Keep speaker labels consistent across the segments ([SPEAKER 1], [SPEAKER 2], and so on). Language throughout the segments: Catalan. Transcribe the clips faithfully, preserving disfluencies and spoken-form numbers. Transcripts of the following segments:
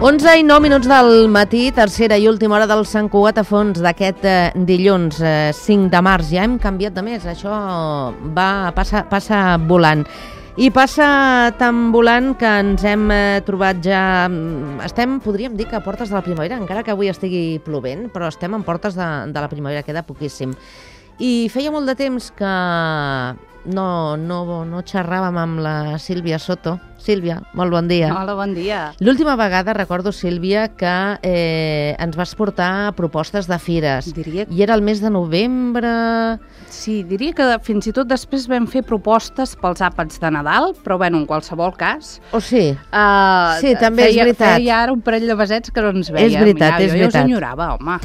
[SPEAKER 1] onze i nou minuts del matí, tercera i última hora del Sant Cugat a Fons d'aquest eh, dilluns eh, cinc de març. Ja hem canviat de mes, això va passa, passa volant. I passa tan volant que ens hem eh, trobat ja... Estem, podríem dir que a portes de la primavera, encara que avui estigui plovent, però estem en portes de, de la primavera, queda poquíssim. I feia molt de temps que no, no, no xerràvem amb la Sílvia Soto. Sílvia, molt bon dia.
[SPEAKER 2] Hola, bon dia.
[SPEAKER 1] L'última vegada recordo, Sílvia, que eh, ens vas portar propostes de fires.
[SPEAKER 2] Diria...
[SPEAKER 1] I era el mes de novembre...
[SPEAKER 2] Sí, diria que fins i tot després vam fer propostes pels àpats de Nadal, però bueno, en qualsevol cas...
[SPEAKER 1] Oh, sí?
[SPEAKER 2] Uh,
[SPEAKER 1] sí, també
[SPEAKER 2] feia,
[SPEAKER 1] és veritat.
[SPEAKER 2] Feia ara un parell de besets que no ens veiem.
[SPEAKER 1] És veritat,
[SPEAKER 2] ja,
[SPEAKER 1] és
[SPEAKER 2] jo
[SPEAKER 1] veritat.
[SPEAKER 2] Jo us enyorava, home.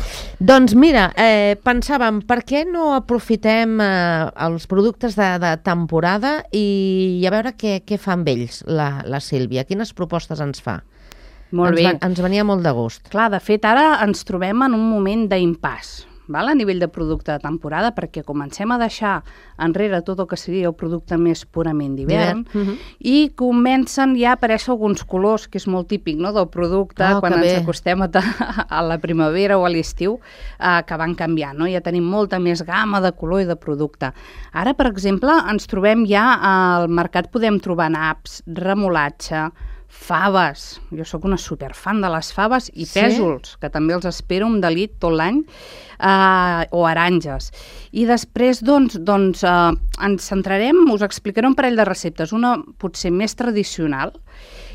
[SPEAKER 1] Doncs mira, eh, pensàvem, per què no aprofitem eh, els productes de, de temporada i, i a veure què, què fa amb ells la, la Sílvia? Quines propostes ens fa?
[SPEAKER 2] Molt
[SPEAKER 1] ens
[SPEAKER 2] bé.
[SPEAKER 1] Va, ens venia molt de gust.
[SPEAKER 2] Clar, de fet, ara ens trobem en un moment d'impàs, val? A nivell de producte de temporada, perquè comencem a deixar enrere tot el que seria el producte més purament d'hivern uh -huh. i comencen ja a aparèixer alguns colors, que és molt típic, no?, del producte,
[SPEAKER 1] oh,
[SPEAKER 2] quan ens
[SPEAKER 1] bé.
[SPEAKER 2] acostem a, a la primavera o a l'estiu, eh, que van canviant, no? Ja tenim molta més gamma de color i de producte. Ara, per exemple, ens trobem ja al mercat, podem trobar naps, remolatge, faves, jo sóc una superfan de les faves, i
[SPEAKER 1] sí? Pèsols,
[SPEAKER 2] que també els espero amb delit tot l'any, eh, o aranges. I després, doncs, doncs eh, ens centrarem, us explicaré un parell de receptes, una potser més tradicional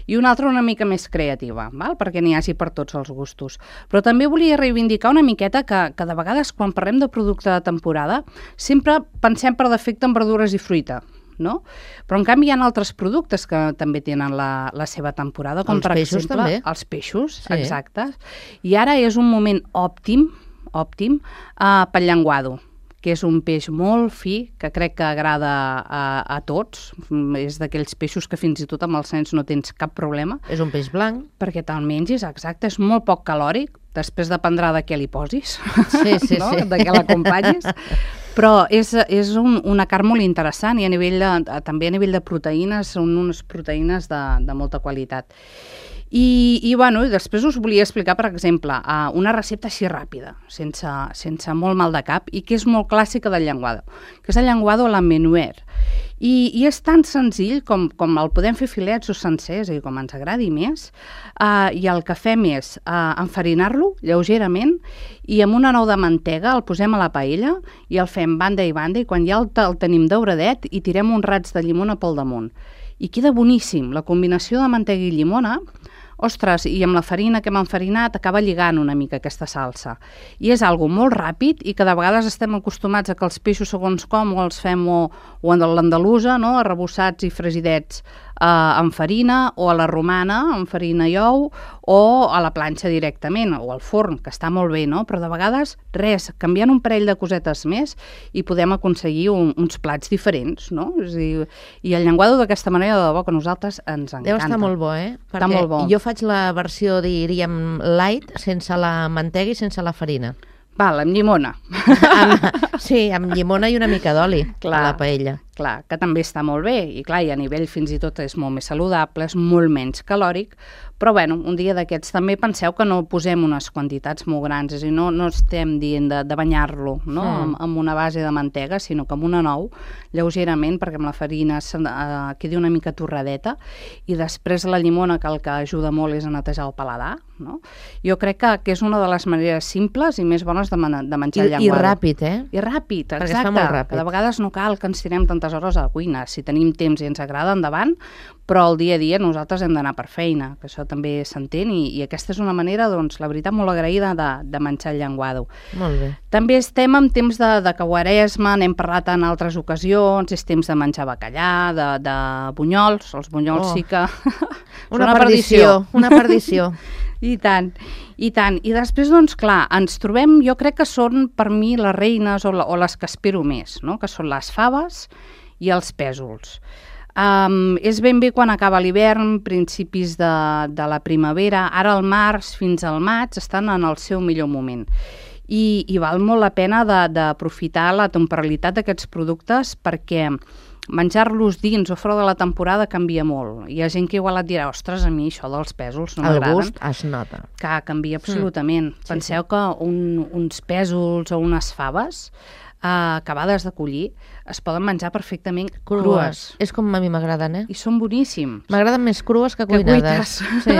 [SPEAKER 2] i una altra una mica més creativa, val? Perquè n'hi hagi per tots els gustos. Però també volia reivindicar una miqueta que, que de vegades quan parlem de producte de temporada sempre pensem per defecte en verdures i fruita, no? Però en canvi hi ha altres productes que també tenen la, la seva temporada, com
[SPEAKER 1] els
[SPEAKER 2] per
[SPEAKER 1] peixos,
[SPEAKER 2] exemple
[SPEAKER 1] també.
[SPEAKER 2] Els peixos,
[SPEAKER 1] sí.
[SPEAKER 2] Exacte. I ara és un moment òptim, òptim uh, pel llenguado, que és un peix molt fi, que crec que agrada a, a tots. És d'aquells peixos que fins i tot amb els nens no tens cap problema.
[SPEAKER 1] És un peix blanc.
[SPEAKER 2] Perquè te'l mengis, exacte, és molt poc calòric, després dependrà de què li posis,
[SPEAKER 1] sí, sí,
[SPEAKER 2] no?
[SPEAKER 1] sí.
[SPEAKER 2] De què l'acompanyis. Però és, és un, una carn molt interessant i a nivell de, també a nivell de proteïnes són unes proteïnes de, de molta qualitat. I, i, bueno, i després us volia explicar, per exemple, uh, una recepta així ràpida, sense, sense molt mal de cap, i que és molt clàssica del llenguado, que és el llenguado a la menuer. I, I és tan senzill com, com el podem fer filets o sencers, i com ens agradi més, uh, i el que fem és uh, enfarinar-lo lleugerament i amb una nou de mantega el posem a la paella i el fem banda i banda, i quan ja el, el tenim dauradet i tirem uns rats de llimona pel damunt. I queda boníssim. La combinació de mantega i llimona, ostres, i amb la farina que hem enfarinat acaba lligant una mica aquesta salsa. I és algo molt ràpid i que de vegades estem acostumats a que els peixos segons com o els fem o, o en l'andalusa, no?, arrebossats i fresidets eh, amb farina, o a la romana amb farina i ou, o a la planxa directament, o al forn, que està molt bé, no? Però de vegades, res, canviant un parell de cosetes més i podem aconseguir un, uns plats diferents, no? És a dir, i el llenguado d'aquesta manera, de debò, que a nosaltres ens encanta.
[SPEAKER 1] Deu estar molt bo, eh? Perquè
[SPEAKER 2] està molt bo.
[SPEAKER 1] Jo faig la versió, diríem, light, sense la mantega i sense la farina.
[SPEAKER 2] Val, amb llimona.
[SPEAKER 1] amb, sí, amb llimona i una mica d'oli a la paella.
[SPEAKER 2] Clar, que també està molt bé, i clar, i a nivell fins i tot és molt més saludable, és molt menys calòric, però bueno, un dia d'aquests també penseu que no posem unes quantitats molt grans, és a dir, no, no estem dient de, de banyar-lo, no?, mm. amb, amb una base de mantega, sinó que amb una nou, lleugerament, perquè amb la farina uh, quedi una mica torradeta, i després la llimona, que el que ajuda molt és a netejar el paladar, no? Jo crec que, que és una de les maneres simples i més bones de, man de menjar
[SPEAKER 1] I,
[SPEAKER 2] llenguado.
[SPEAKER 1] I ràpid, eh?
[SPEAKER 2] I ràpid, exacte.
[SPEAKER 1] Perquè es fa molt ràpid.
[SPEAKER 2] Que de vegades no cal que ens tirem tantes hores a la cuina. Si tenim temps i ens agrada, endavant, però el dia a dia nosaltres hem d'anar per feina, que això també s'entén, i, i aquesta és una manera, doncs, la veritat, molt agraïda de, de menjar el llenguado.
[SPEAKER 1] Molt bé.
[SPEAKER 2] També estem en temps de, de Quaresma, n'hem parlat en altres ocasions, és temps de menjar bacallà, de, de bunyols, els bunyols oh. sí que...
[SPEAKER 1] una, una perdició, una perdició.
[SPEAKER 2] I tant, i tant. I després, doncs, clar, ens trobem, jo crec que són, per mi, les reines o, la, o les que espero més, no?, que són les faves i els pèsols. Um, és ben bé quan acaba l'hivern, principis de, de la primavera, ara al març fins al maig estan en el seu millor moment. I, i val molt la pena d'aprofitar la temporalitat d'aquests productes perquè menjar-los dins o fora de la temporada canvia molt. Hi ha gent que igual et dirà, ostres, a mi això dels pèsols no m'agraden.
[SPEAKER 1] El gust es nota.
[SPEAKER 2] Que canvia absolutament. Mm. Penseu sí, sí. que un, uns pèsols o unes faves Uh, acabades de collir, es poden menjar perfectament crues. crues.
[SPEAKER 1] És com a mi m'agraden, eh?
[SPEAKER 2] I són boníssims.
[SPEAKER 1] M'agraden més crues que cuinades.
[SPEAKER 2] Que sí.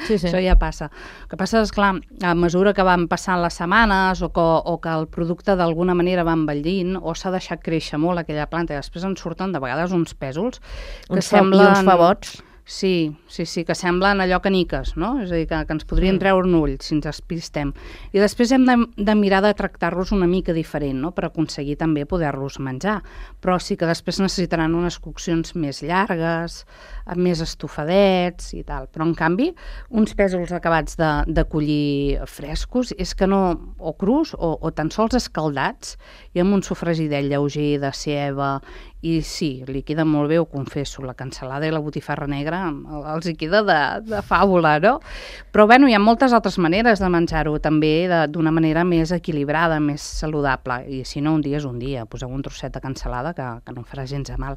[SPEAKER 2] Sí, sí. Això ja passa. El que passa és, clar, a mesura que van passant les setmanes o que, o que el producte d'alguna manera va envellint o s'ha deixat créixer molt aquella planta i després en surten de vegades uns pèsols que
[SPEAKER 1] uns
[SPEAKER 2] semblen...
[SPEAKER 1] I uns favots.
[SPEAKER 2] Sí, sí, sí, que semblen allò caniques, no? És a dir, que, que ens podrien treure un ull si ens espistem. I després hem de, de mirar de tractar-los una mica diferent, no?, per aconseguir també poder-los menjar. Però sí que després necessitaran unes coccions més llargues, més estofadets i tal. Però, en canvi, uns pèsols acabats de, de collir frescos és que no, o crus o, o tan sols escaldats i amb un sofregidet lleuger de ceba. I sí, li queda molt bé, ho confesso, la cansalada i la botifarra negra els hi queda de, de fàbula, no? Però, bueno, hi ha moltes altres maneres de menjar-ho, també d'una manera més equilibrada, més saludable. I si no, un dia és un dia, poseu un trosset de cansalada que, que no em farà gens de mal.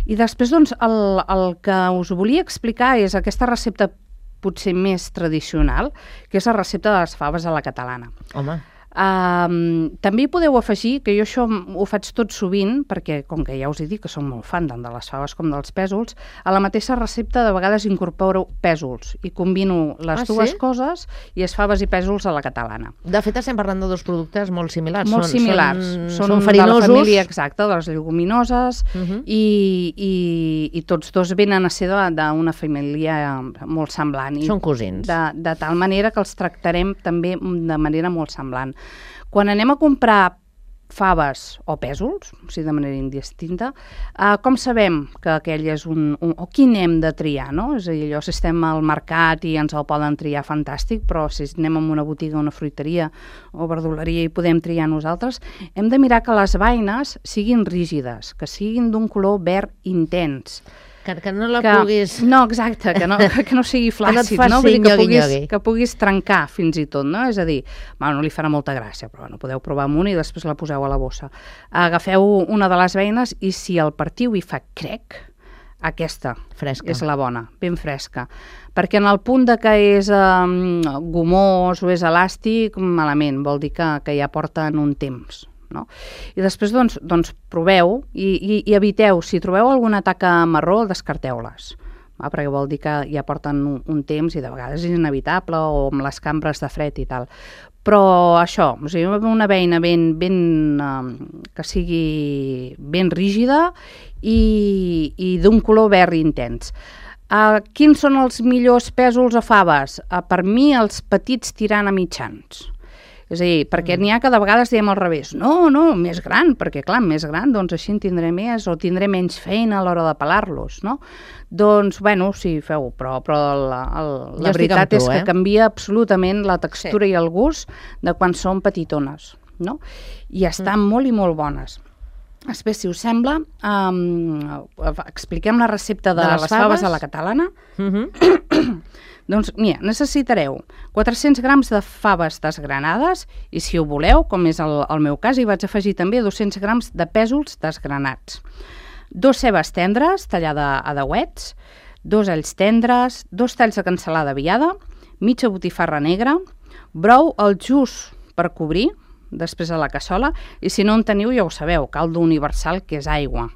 [SPEAKER 2] I després, doncs, el, el que us volia explicar és aquesta recepta potser més tradicional, que és la recepta de les faves a la catalana.
[SPEAKER 1] Home...
[SPEAKER 2] Um, també hi podeu afegir, que jo això ho faig tot sovint, perquè com que ja us he dit que som molt fan tant de les faves com dels pèsols, a la mateixa recepta de vegades incorporo pèsols i combino les
[SPEAKER 1] ah,
[SPEAKER 2] dues
[SPEAKER 1] sí?
[SPEAKER 2] coses i és faves i pèsols a la catalana.
[SPEAKER 1] De fet, estem parlant de dos productes molt similars.
[SPEAKER 2] Molt
[SPEAKER 1] són,
[SPEAKER 2] similars.
[SPEAKER 1] Són,
[SPEAKER 2] són,
[SPEAKER 1] són farinosos.
[SPEAKER 2] De la família exacta, de les lleguminoses, uh -huh. i, i, i tots dos venen a ser d'una família molt semblant.
[SPEAKER 1] Són cosins.
[SPEAKER 2] De, de tal manera que els tractarem també de manera molt semblant. Quan anem a comprar faves o pèsols, o sigui, de manera indistinta, eh, com sabem que aquell és un, un... o quin hem de triar, no? És a dir, allò, si estem al mercat i ens el poden triar, fantàstic, però si anem a una botiga, una fruiteria o verduleria i podem triar nosaltres, hem de mirar que les beines siguin rígides, que siguin d'un color verd intens.
[SPEAKER 1] Que, que no la
[SPEAKER 2] que,
[SPEAKER 1] puguis...
[SPEAKER 2] No, exacte, que no, que no sigui flàcid,
[SPEAKER 1] que no,
[SPEAKER 2] no? Vull dir, que,
[SPEAKER 1] nyogui,
[SPEAKER 2] puguis,
[SPEAKER 1] nyogui.
[SPEAKER 2] que puguis trencar fins i tot, no? És a dir, bueno, no li farà molta gràcia, però bueno, podeu provar amb una i després la poseu a la bossa. Agafeu una de les beines i si el partiu hi fa crec, aquesta
[SPEAKER 1] fresca.
[SPEAKER 2] És la bona, ben fresca. Perquè en el punt de que és um, gomós o és elàstic, malament, vol dir que, que ja porten un temps. No? I després doncs, doncs proveu i, i, i eviteu, si trobeu alguna taca marró, descarteu-les, va? Perquè vol dir que ja porten un, un temps i de vegades és inevitable o amb les cambres de fred i tal. Però això, o sigui, una beina ben, ben, um, que sigui ben rígida i, i d'un color verd intens. Uh, quins són els millors pèsols o faves? Uh, per mi els petits tirant a mitjans. És a dir, perquè n'hi ha que de vegades diem al revés. No, no, més gran, perquè clar, més gran, doncs així en tindré més o tindré menys feina a l'hora de pelar-los, no? Doncs, bueno, sí, feu, però, però la, el, la veritat tu, és que eh? canvia absolutament la textura sí. i el gust de quan són petitones, no? I estan mm. molt i molt bones. Després, si us sembla, um, expliquem la recepta de, de les, les faves? faves a la catalana. Mm-hmm. Doncs, mira, necessitareu quatre-cents grams de faves desgranades i, si ho voleu, com és el, el meu cas, hi vaig afegir també dos-cents grams de pèsols desgranats. Dos cebes tendres, tallada a dauets, dos alls tendres, dos talls de cansalada viada, mitja botifarra negra, brou al just per cobrir, després a la cassola, i si no en teniu, ja ho sabeu, caldo universal, que és aigua.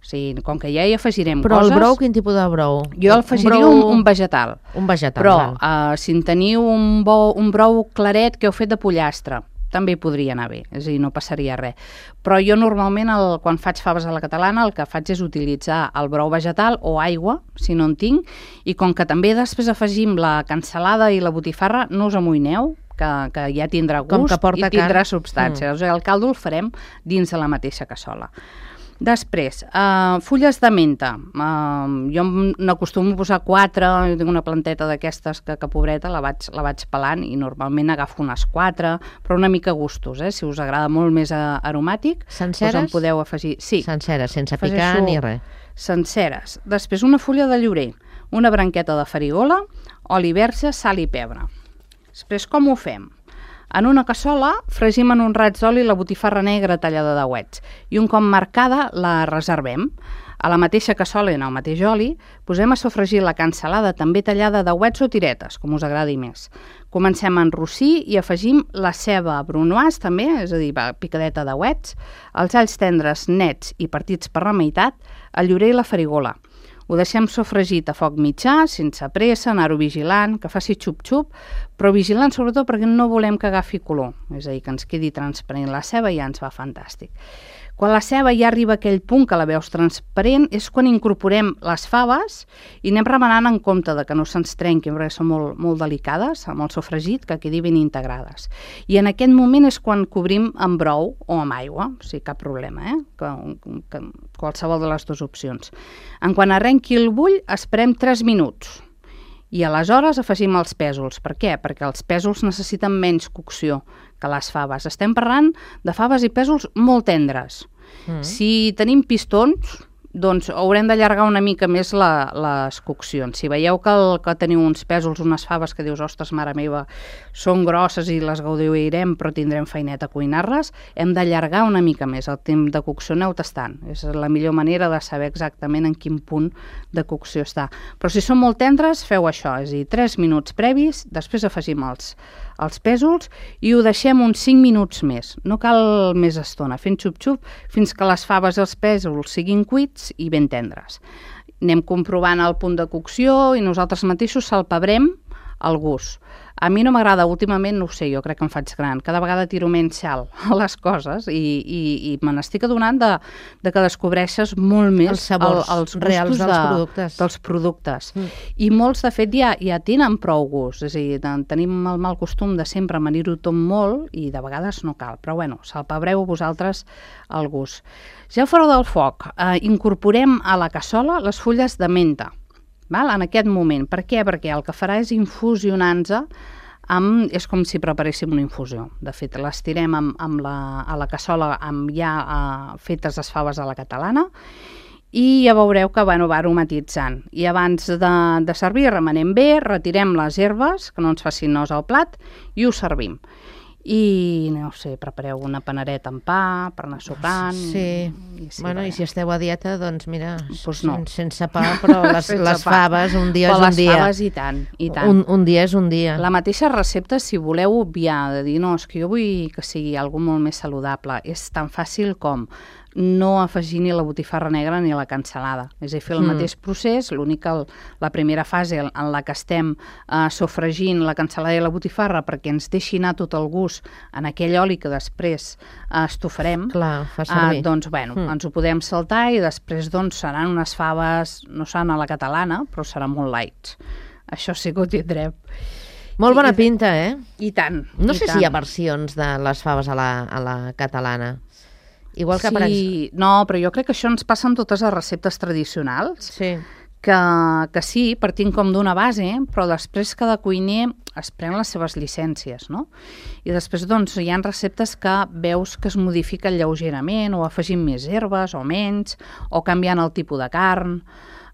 [SPEAKER 2] O sigui, com que ja hi afegirem
[SPEAKER 1] Però
[SPEAKER 2] coses...
[SPEAKER 1] Però el brou, quin tipus de brou?
[SPEAKER 2] Jo afegiria un, brou... un, un vegetal.
[SPEAKER 1] Un vegetal,
[SPEAKER 2] Però uh, si en teniu un, bo, un brou claret que heu fet de pollastre, també podria anar bé, és a dir, no passaria res. Però jo normalment, el, quan faig faves a la catalana, el que faig és utilitzar el brou vegetal o aigua, si no en tinc, i com que també després afegim la cansalada i la botifarra, no us amoïneu, que, que ja tindrà gust i tindrà can... substància. Mm. O sigui, el caldo el farem dins de la mateixa cassola. Després, uh, fulles de menta. Uh, jo n'acostumo a posar quatre, jo tinc una planteta d'aquestes que, que pobreta, la vaig, la vaig pelant i normalment agafo unes quatre, però una mica a gustos, eh? Si us agrada molt més uh, aromàtic,
[SPEAKER 1] senceres?
[SPEAKER 2] Doncs en podeu afegir. Sí.
[SPEAKER 1] Senceres, sense picar ni res.
[SPEAKER 2] Senceres. Després una fulla de llorer, una branqueta de farigola, oli verge, sal i pebre. Després, com ho fem? En una cassola fregim en un raig d'oli la botifarra negra tallada de dauets i un cop marcada la reservem. A la mateixa cassola i en el mateix oli posem a sofregir la cansalada també tallada de ouets o tiretes, com us agradi més. Comencem a enrossir i afegim la ceba brunoise també, és a dir, picadeta de ouets, els alls tendres nets i partits per la meitat, el llorer i la farigola. Ho deixem sofregit a foc mitjà, sense pressa, anar-ho vigilant, que faci xup-xup, però vigilant sobretot perquè no volem que agafi color, és a dir, que ens quedi transparent la ceba i ja ens va fantàstic. Quan la ceba ja arriba a aquell punt que la veus transparent és quan incorporem les faves i anem remenant en compte de que no se'ns trenquin, perquè són molt, molt delicades, amb el sofregit, que quedi ben integrades. I en aquest moment és quan cobrim amb brou o amb aigua, o sigui, cap problema, eh? que, que, qualsevol de les dues opcions. En quan arrenqui el bull, esperem tres minuts. I aleshores afegim els pèsols. Per què? Perquè els pèsols necessiten menys cocció que les faves. Estem parlant de faves i pèsols molt tendres. Mm. Si tenim pistons, doncs haurem d'allargar una mica més la, les coccions. Si veieu que, el, que teniu uns pèsols, unes faves que dius, ostres, mare meva, són grosses i les gaudirem, però tindrem feinet a cuinar-les, hem d'allargar una mica més el temps de cocció, aneu tastant. És la millor manera de saber exactament en quin punt de cocció està. Però si són molt tendres, feu això, és a dir, tres minuts previs, després afegim els, els pèsols i ho deixem uns cinc minuts més. No cal més estona, fent xup-xup fins que les faves i els pèsols siguin cuits i ben tendres. Anem comprovant el punt de cocció i nosaltres mateixos salpebrem al gust. A mi no m'agrada, últimament, no ho sé, jo crec que em faig gran, cada vegada tiro menys sal a les coses i, i, i me n'estic adonant de, de que descobreixes molt més
[SPEAKER 1] els sabors
[SPEAKER 2] el, els
[SPEAKER 1] reals dels
[SPEAKER 2] de,
[SPEAKER 1] productes.
[SPEAKER 2] Dels productes. Mm. I molts, de fet, ja, ja tenen prou gust, és a dir, tenim el mal costum de sempre amanir-ho tot molt i de vegades no cal, però bueno, salpebreu vosaltres el gust. Ja fora del foc, eh, incorporem a la cassola les fulles de menta. Val? En aquest moment. Per què? Perquè el que farà és infusionar-nos amb, és com si preparéssim una infusió. De fet, les tirem amb, amb la, a la cassola amb ja uh, fetes les faves a la catalana i ja veureu que bueno, va aromatitzant. I abans de, de servir remenem bé, retirem les herbes, que no ens facin nos al plat, i ho servim. I, no sé, prepareu una panereta amb pa per anar sopant.
[SPEAKER 1] Sí,
[SPEAKER 2] i, sí
[SPEAKER 1] bueno, i si esteu a dieta, doncs mira,
[SPEAKER 2] pues no.
[SPEAKER 1] sense pa, però les, les faves un dia
[SPEAKER 2] però
[SPEAKER 1] és un dia.
[SPEAKER 2] Les faves i tant, i tant.
[SPEAKER 1] Un, un dia és un dia.
[SPEAKER 2] La mateixa recepta, si voleu obviar, de dir, no, és que jo vull que sigui algo molt més saludable, és tan fàcil com no afegir ni la botifarra negra ni la cansalada. És a dir, fer el mm. mateix procés, l'únic que la primera fase en la que estem uh, sofregint la cansalada i la botifarra perquè ens deixi anar tot el gust en aquell oli que després uh, estofarem,
[SPEAKER 1] Clar, fa servir.
[SPEAKER 2] Uh, doncs, bueno, mm. ens ho podem saltar i després doncs, seran unes faves, no seran a la catalana, però seran molt light. Això sí que ho tindrem.
[SPEAKER 1] Molt bona I, pinta, eh?
[SPEAKER 2] I tant.
[SPEAKER 1] No
[SPEAKER 2] i
[SPEAKER 1] sé
[SPEAKER 2] tant.
[SPEAKER 1] si hi ha versions de les faves a la, a la catalana. Igual que
[SPEAKER 2] sí,
[SPEAKER 1] per...
[SPEAKER 2] no, però jo crec que això ens passa en totes les receptes tradicionals,
[SPEAKER 1] sí.
[SPEAKER 2] que, que sí, partint com d'una base, però després cada cuiner es pren les seves llicències, no? I després, doncs, hi ha receptes que veus que es modifiquen lleugerament, o afegint més herbes, o menys, o canviant el tipus de carn.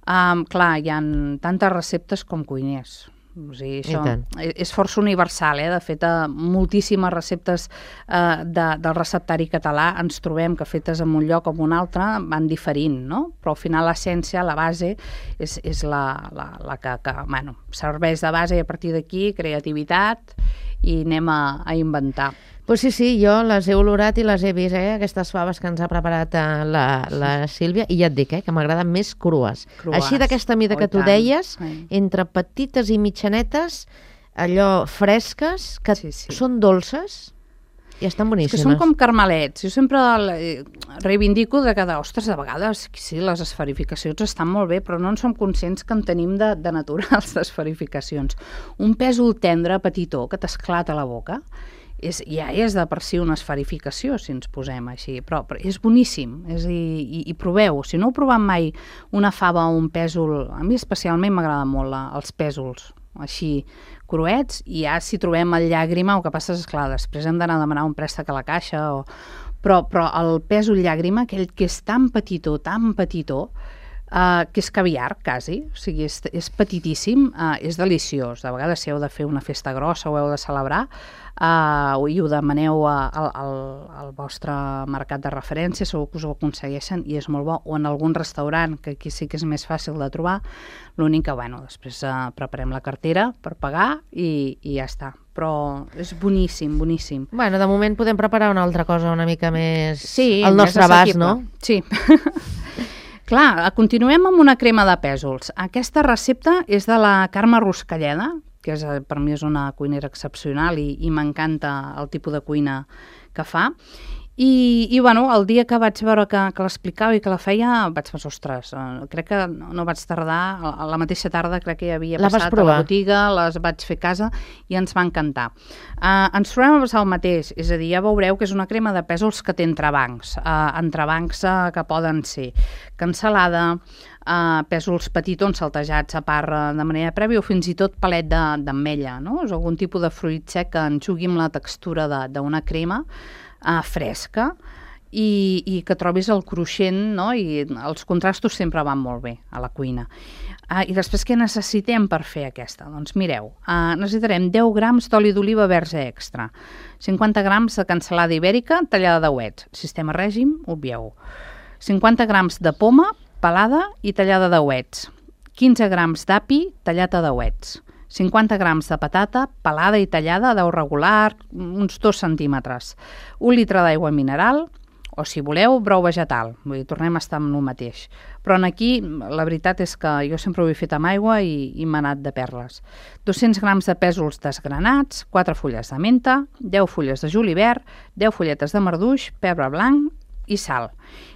[SPEAKER 2] Um, clar, hi ha tantes receptes com cuiners. O sigui, això és força universal, eh? De fet, a moltíssimes receptes eh, de, del receptari català ens trobem que fetes en un lloc o en un altre van diferint, no? Però al final l'essència, la base, és, és la, la, la que, que bueno, serveix de base i a partir d'aquí creativitat i anem a, a inventar.
[SPEAKER 1] Pues sí, sí, jo les he olorat i les he vist, eh? Aquestes faves que ens ha preparat la, la Sílvia, i ja et dic, eh? Que m'agraden més crues. crues. Així d'aquesta mida oh, que tu tant. deies, sí. entre petites i mitjanetes, allò fresques, que sí, sí. són dolces i estan boníssimes.
[SPEAKER 2] És que són com carmelets. Jo sempre reivindico de que, ostres, de vegades sí, les esferificacions estan molt bé, però no en som conscients que en tenim de, de naturals d'esferificacions. Un pèsol tendre, petitó, que t'esclata la boca, És, ja és de per si una esferificació, si ens posem així, però, però és boníssim, és, i, i, i proveu. Si no heu provat mai una fava o un pèsol, a mi especialment m'agrada molt la, els pèsols, així cruets, i ja si trobem el llàgrima, el que passa és, clar, després hem d'anar a demanar un préstec a la caixa, o... però, però el pèsol llàgrima, aquell que és tan petitó, tan petitó, Uh, que és caviar, quasi, o sigui, és, és petitíssim, uh, és deliciós. De vegades, si heu de fer una festa grossa o heu de celebrar, uh, i ho demaneu a, a, al, al vostre mercat de referència, segur que us ho aconsegueixen i és molt bo, o en algun restaurant, que aquí sí que és més fàcil de trobar, l'únic que, bueno, després uh, preparem la cartera per pagar i, i ja està. Però és boníssim, boníssim.
[SPEAKER 1] Bueno, de moment podem preparar una altra cosa una mica més
[SPEAKER 2] sí,
[SPEAKER 1] al nostre abast, no?
[SPEAKER 2] Sí. Clar, continuem amb una crema de pèsols. Aquesta recepta és de la Carme Ruscalleda, que és, per mi és una cuinera excepcional i, i m'encanta el tipus de cuina que fa. I, i bueno, el dia que vaig veure que, que l'explicava i que la feia, vaig pensar, ostres, eh, crec que no, no vaig tardar, a la mateixa tarda crec que ja havia
[SPEAKER 1] la
[SPEAKER 2] passat a la botiga, les vaig fer a casa i ens va encantar. Uh, ens trobem a passar el mateix, és a dir, ja veureu que és una crema de pèsols que té entrebancs, uh, entrebancs uh, que poden ser cansalada, uh, pèsols petitons saltejats a part uh, de manera prèvia o fins i tot palet d'ametlla, no? És algun tipus de fruit sec que enxugui amb la textura d'una crema Uh, fresca i, i que trobis el cruixent, no? I els contrastos sempre van molt bé a la cuina. Uh, I després què necessitem per fer aquesta? Doncs mireu, uh, necessitarem deu grams d'oli d'oliva verge extra, cinquanta grams de cansalada ibèrica tallada de ouets, sistema règim, obvieu, cinquanta grams de poma pelada i tallada de ouets, quinze grams d'api tallat a dauets, cinquanta grams de patata pelada i tallada d'ou regular, uns dos centímetres, un litre d'aigua mineral, o si voleu, brou vegetal. Vull dir, tornem a estar amb el mateix. Però aquí la veritat és que jo sempre ho he fet amb aigua i, i m'ha anat de perles. dos-cents grams de pèsols desgranats, quatre fulles de menta, deu fulles de julivert, deu fulletes de marduix, pebre blanc i sal.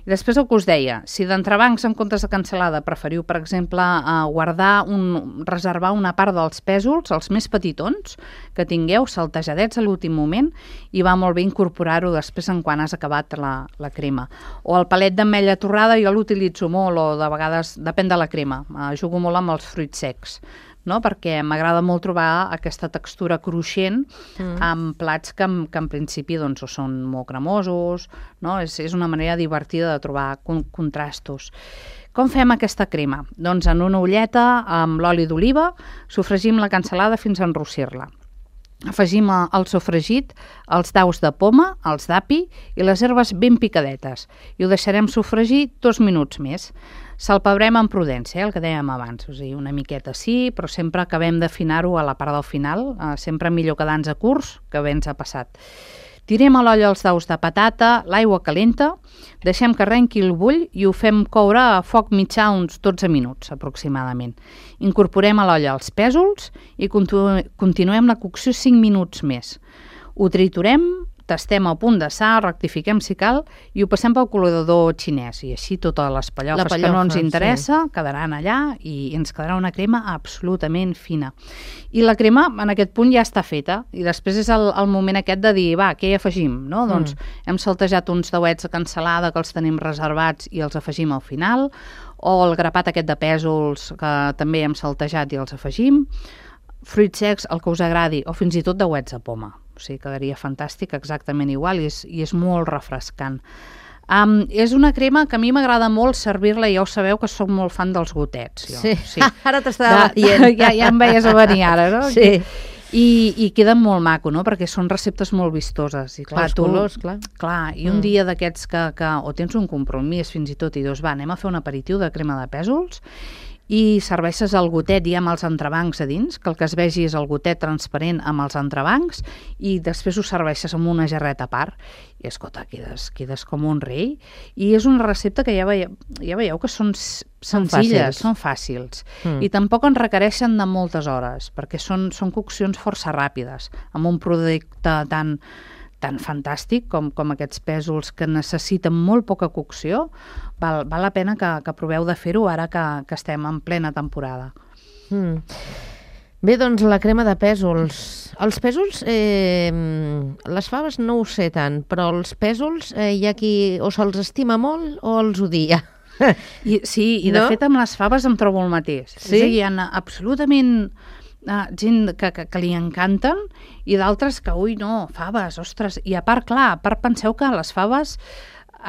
[SPEAKER 2] I després el que us deia, si d'entrebancs en comptes de cansalada preferiu, per exemple, eh, guardar, un, reservar una part dels pèsols, els més petitons, que tingueu saltejadets a l'últim moment, i va molt bé incorporar-ho després en quan has acabat la, la crema. O el palet d'ametlla torrada jo l'utilitzo molt, o de vegades, depèn de la crema, eh, jugo molt amb els fruits secs, no? Perquè m'agrada molt trobar aquesta textura cruixent mm. amb plats que, que en principi doncs, són molt cremosos, no? És, és una manera divertida de trobar con contrastos. Com fem aquesta crema? Doncs en una olleta amb l'oli d'oliva sofregim la cansalada fins a enrossir-la. Afegim al sofregit els daus de poma, els d'api i les herbes ben picadetes i ho deixarem sofregir dos minuts més. Salpebrem amb prudència, eh, el que dèiem abans, o sigui, una miqueta sí, però sempre acabem d'afinar-ho a la part del final, eh, sempre millor quedar-nos a curs que bé ens ha passat. Tirem a l'olla els daus de patata, l'aigua calenta, deixem que arrenqui el bull i ho fem coure a foc mitjà uns dotze minuts aproximadament. Incorporem a l'olla els pèsols i continu continuem la cocció cinc minuts més. Ho triturem, tastem el punt de sal, rectifiquem si cal i ho passem pel col·lador xinès i així totes les pallofes pallofa, que no ens interessa sí. quedaran allà i ens quedarà una crema absolutament fina. I la crema en aquest punt ja està feta i després és el, el moment aquest de dir, va, què hi afegim? No? Mm. Doncs hem saltejat uns dauets de cansalada que els tenim reservats i els afegim al final, o el grapat aquest de pèsols que també hem saltejat i els afegim, fruits secs, el que us agradi, o fins i tot dauets de poma. O sigui, quedaria fantàstic, exactament igual, i és, i és molt refrescant. Um, és una crema que a mi m'agrada molt servir-la, i ja ho sabeu que soc molt fan dels gotets. Jo.
[SPEAKER 1] Sí,
[SPEAKER 2] sí.
[SPEAKER 1] Ara t'estava dient.
[SPEAKER 2] Ja, ja em veies a venir ara, no?
[SPEAKER 1] Sí.
[SPEAKER 2] I, i queda molt maco, no? Perquè són receptes molt vistoses. I clar,
[SPEAKER 1] els
[SPEAKER 2] tu,
[SPEAKER 1] colors, clar.
[SPEAKER 2] Clar, i un mm. dia d'aquests que, que o tens un compromís fins i tot i dius, va, anem a fer un aperitiu de crema de pèsols, i serveixes el gotet ja amb els entrebancs a dins, que el que es vegi és el gotet transparent amb els entrebancs, i després ho serveixes amb una jarreta a part, i escolta, quedes, quedes com un rei, i és una recepta que ja veieu, ja veieu que són senzilles, són fàcils, mm. i tampoc en requereixen de moltes hores, perquè són, són coccions força ràpides, amb un producte tan tan fantàstic com, com aquests pèsols que necessiten molt poca cocció, val, val la pena que, que proveu de fer-ho ara que, que estem en plena temporada.
[SPEAKER 1] Mm. Bé, doncs la crema de pèsols. Els pèsols, eh, les faves no ho sé tant, però els pèsols eh, hi ha qui o se'ls estima molt o els odia.
[SPEAKER 2] I, sí, i de no? fet amb les faves em trobo el mateix.
[SPEAKER 1] Sí?
[SPEAKER 2] És a dir, hi ha absolutament Uh, gent que, que, que li encanten i d'altres que, ui, no, faves, ostres, i a part, clar, a part penseu que les faves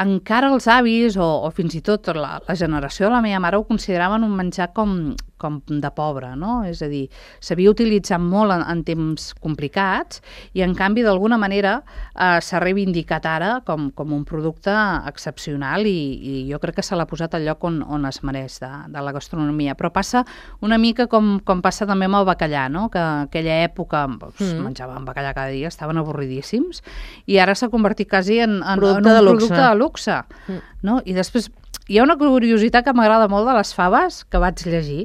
[SPEAKER 2] encara els avis o, o fins i tot la, la generació de la meva mare ho consideraven un menjar com, com de pobre, no? És a dir, s'havia utilitzat molt en, en temps complicats i en canvi d'alguna manera eh, s'ha reivindicat ara com, com un producte excepcional i, i jo crec que se l'ha posat al lloc on, on es mereix de, de la gastronomia. Però passa una mica com, com passa també amb el bacallà, no? Que aquella època doncs, mm. menjaven bacallà cada dia, estaven avorridíssims i ara s'ha convertit quasi en, en,
[SPEAKER 1] producte
[SPEAKER 2] en un
[SPEAKER 1] de
[SPEAKER 2] producte de luxe. Mm. No? I després hi ha una curiositat que m'agrada molt de les faves que vaig llegir,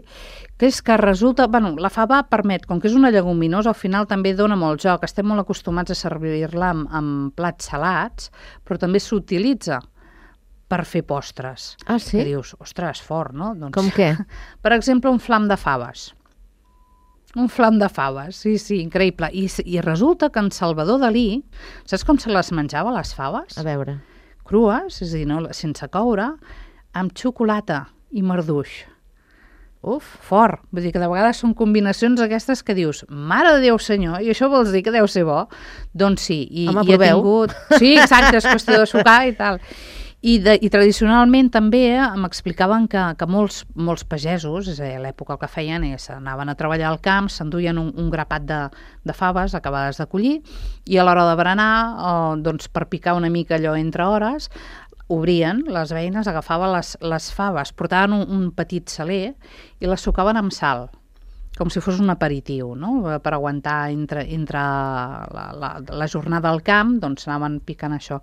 [SPEAKER 2] que és que resulta... Bueno, la fava permet, com que és una lleguminosa, al final també dona molt joc. Estem molt acostumats a servir-la amb, amb plats salats, però també s'utilitza per fer postres.
[SPEAKER 1] Ah, sí?
[SPEAKER 2] Que dius, ostres, fort, no? Doncs,
[SPEAKER 1] com què?
[SPEAKER 2] Per exemple, un flam de faves. Un flam de faves, sí, sí, increïble. I, i resulta que en Salvador Dalí, saps com se les menjava, les faves?
[SPEAKER 1] A veure.
[SPEAKER 2] Crues, és a dir, no, sense coure, amb xocolata i marduix. Uf, fort. Vull dir que de vegades són combinacions aquestes que dius, mare de Déu senyor, i això vols dir que deu ser bo? Doncs sí. I,
[SPEAKER 1] Home,
[SPEAKER 2] i he tingut... Sí, exacte, és qüestió de sucar i tal. I, de, i tradicionalment també eh, m'explicaven que, que molts, molts pagesos, és a dir, a l'època el que feien és anaven a treballar al camp, s'enduien un, un grapat de, de faves acabades de collir i a l'hora de berenar, eh, doncs per picar una mica allò entre hores, obrien les veïnes, agafaven les, les faves, portaven un, un petit saler i les sucaven amb sal, com si fos un aperitiu, no? Per aguantar entre, entre la, la, la jornada al camp, doncs anaven picant això.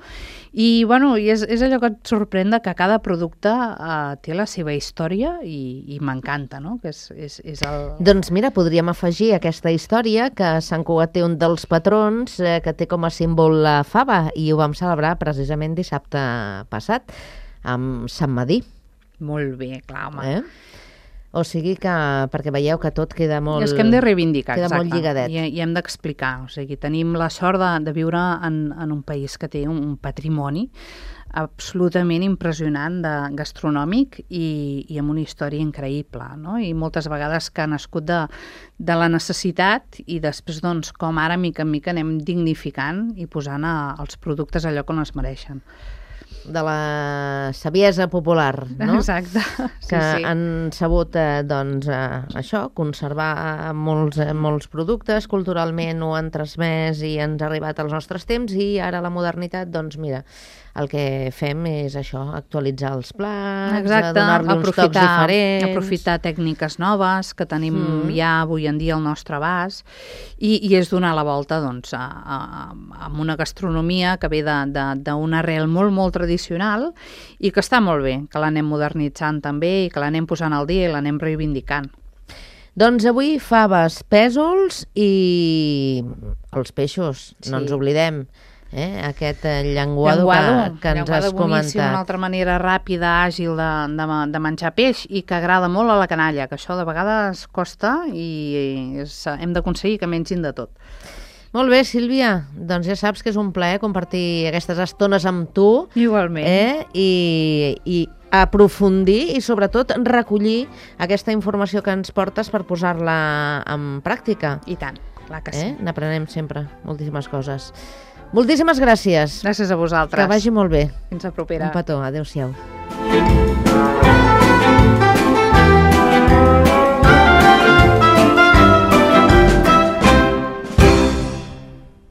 [SPEAKER 2] I, bueno, i és, és allò que et sorprèn que cada producte eh, té la seva història i, i m'encanta, no? Que és, és, és el...
[SPEAKER 1] Doncs mira, podríem afegir aquesta història que Sant Cugat té un dels patrons eh, que té com a símbol la fava i ho vam celebrar precisament dissabte passat amb Sant Madí.
[SPEAKER 2] Molt bé, clar, home.
[SPEAKER 1] Eh? O sigui que, perquè veieu que tot queda molt...
[SPEAKER 2] I és que hem de reivindicar,
[SPEAKER 1] queda
[SPEAKER 2] exacte.
[SPEAKER 1] molt lligadet.
[SPEAKER 2] I, i hem d'explicar. O sigui, tenim la sort de, de viure en, en un país que té un, un patrimoni absolutament impressionant de gastronòmic i, i amb una història increïble, no? I moltes vegades que ha nascut de, de la necessitat i després, doncs, com ara, mica en mica, anem dignificant i posant a, els productes allò que on es mereixen.
[SPEAKER 1] De la saviesa popular, no?
[SPEAKER 2] Exacte. Sí,
[SPEAKER 1] que
[SPEAKER 2] sí.
[SPEAKER 1] han sabut eh, doncs, eh, això, conservar molts, eh, molts productes, culturalment ho han transmès i ens ha arribat als nostres temps i ara la modernitat, doncs mira, el que fem és això, actualitzar els plats,
[SPEAKER 2] exacte,
[SPEAKER 1] donar-li uns tocs diferents.
[SPEAKER 2] Aprofitar tècniques noves que tenim mm. ja avui en dia al nostre abast i, i és donar la volta doncs, a, a, a una gastronomia que ve d'una arrel molt, molt tradicional i que està molt bé, que l'anem modernitzant també i que l'anem posant al dia i l'anem reivindicant.
[SPEAKER 1] Doncs avui faves, pèsols i els peixos, sí. No ens oblidem. Eh? Aquest llenguado, llenguado que, que ens
[SPEAKER 2] llenguado
[SPEAKER 1] has comentat.
[SPEAKER 2] Boníssim, una altra manera ràpida, àgil de, de, de menjar peix i que agrada molt a la canalla, que això de vegades costa i és, hem d'aconseguir que mengin de tot.
[SPEAKER 1] Molt bé, Sílvia, doncs ja saps que és un plaer compartir aquestes estones amb tu.
[SPEAKER 2] Igualment.
[SPEAKER 1] Eh? I, i aprofundir i sobretot recollir aquesta informació que ens portes per posar-la en pràctica.
[SPEAKER 2] I tant, clar que sí.
[SPEAKER 1] Eh? N'aprenem sempre moltíssimes coses. Moltíssimes gràcies.
[SPEAKER 2] Gràcies a vosaltres.
[SPEAKER 1] Que vagi molt bé.
[SPEAKER 2] Fins la propera.
[SPEAKER 1] Un petó. Adéu-siau.